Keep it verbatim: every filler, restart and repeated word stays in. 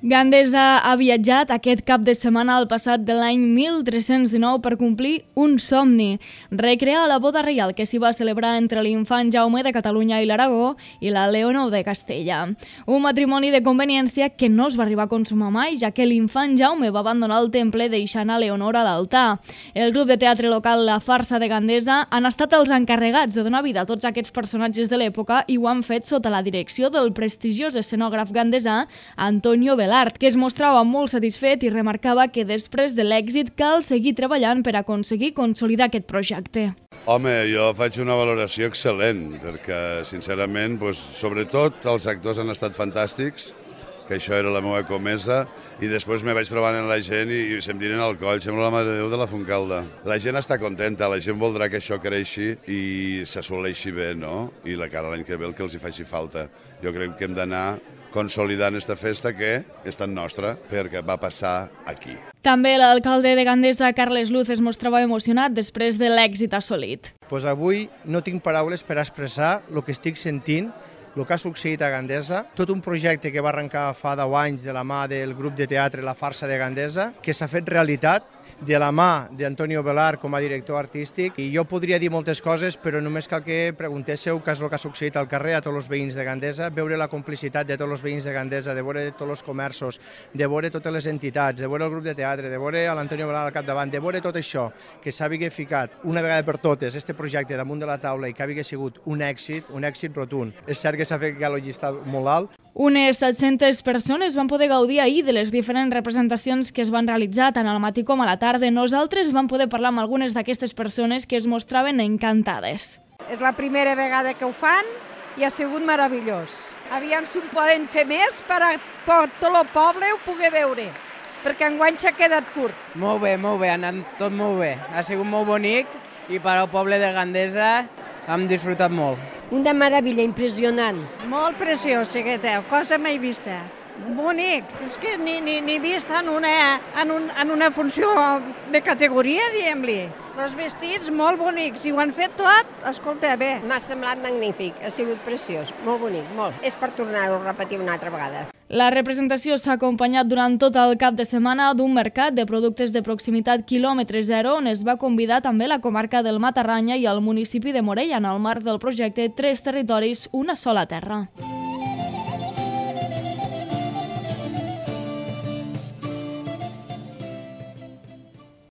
Gandesa ha viatjat aquest cap de setmana al passat de l'any mil tres-cents dinou per complir un somni, recrear la boda reial que s'hi va celebrar entre l'infant Jaume de Catalunya i l'Aragó i la Leonor de Castella. Un matrimoni de conveniència que no es va arribar a consumar mai, ja que l'infant Jaume va abandonar el temple deixant a Leonor a l'altar. El grup de teatre local La Farsa de Gandesa han estat els encarregats de donar vida a tots aquests personatges de l'època i ho han fet sota la direcció del prestigiós escenògraf gandesà Antonio Velar, que es mostrava molt satisfet i remarcava que després de l'èxit cal seguir treballant per aconseguir consolidar aquest projecte. Home, jo faig una valoració excel·lent, perquè, sincerament, doncs, sobretot els actors han estat fantàstics, que això era la meva comesa, i després me vaig trobant amb la gent i, i se'm tiren al coll, sembla la Mare de Déu de la Fontcalda. La gent està contenta, la gent voldrà que això creixi i s'assoleixi bé, no? I la cara l'any que ve el que els hi faci falta. Jo crec que hem d'anar consolidant aquesta festa que és tan nostra perquè va passar aquí. També l'alcalde de Gandesa, Carles Luz, es mostrava emocionat després de l'èxit assolit. Pues avui no tinc paraules per expressar el que estic sentint, el que ha succeït a Gandesa, tot un projecte que va arrencar fa deu anys de la mà del grup de teatre La Farsa de Gandesa, que s'ha fet realitat de la mà d'Antonio Velar com a director artístic. I jo podria dir moltes coses, però només cal que preguntéssiu què és el que ha succeït al carrer a tots els veïns de Gandesa, veure la complicitat de tots els veïns de Gandesa, de veure tots els comerços, de veure totes les entitats, de veure el grup de teatre, de veure l'Antonio Velar al capdavant, de veure tot això, que s'havia ficat una vegada per totes este projecte damunt de la taula i que havia sigut un èxit, un èxit rotund. És cert que s'ha fet el llistat molt alt. Unes set-centes persones van poder gaudir ahir de les diferents representacions que es van realitzar tant al matí com a la tarda. Nosaltres vam poder parlar amb algunes d'aquestes persones que es mostraven encantades. És la primera vegada que ho fan i ha sigut meravellós. Aviam si ho poden fer més per a tot el poble ho pugui veure, perquè enguany s'ha quedat curt. Molt bé, molt bé, ha anat tot molt bé. Ha sigut molt bonic i per al poble de Gandesa hem disfrutat molt. Una meravella, impressionant. Molt preciós, xiqueteu, cosa mai vista. Bonic, és que ni, ni, ni vist en una, en, un, en una funció de categoria, diguem-li. Els vestits molt bonics i ho han fet tot, escolta, bé. M'ha semblat magnífic, ha sigut preciós, molt bonic, molt. És per tornar-ho a repetir una altra vegada. La representació s'ha acompanyat durant tot el cap de setmana d'un mercat de productes de proximitat quilòmetre zero on es va convidar també la comarca del Matarranya i el municipi de Morella en el marc del projecte Tres Territoris, una sola terra.